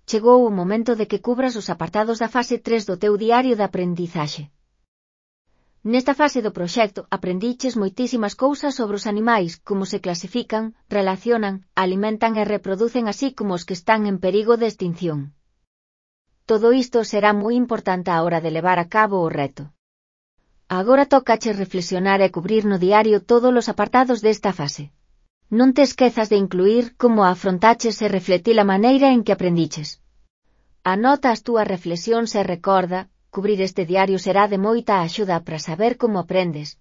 chegou o momento de que cubras os apartados da fase 3 do teu diario de aprendizaxe. Nesta fase do proxecto aprendiches moitísimas cousas sobre os animais, como se clasifican, relacionan, alimentan e reproducen así como os que están en perigo de extinción. Todo isto será moi importante á hora de levar a cabo o reto. Agora tócache reflexionar e cubrir no diario todos os apartados desta fase. Non te esquezas de incluir como afrontaches e refletir a maneira en que aprendiches. Anota as túas reflexións e recorda, cubrir este diario será de moita axuda para saber como aprendes,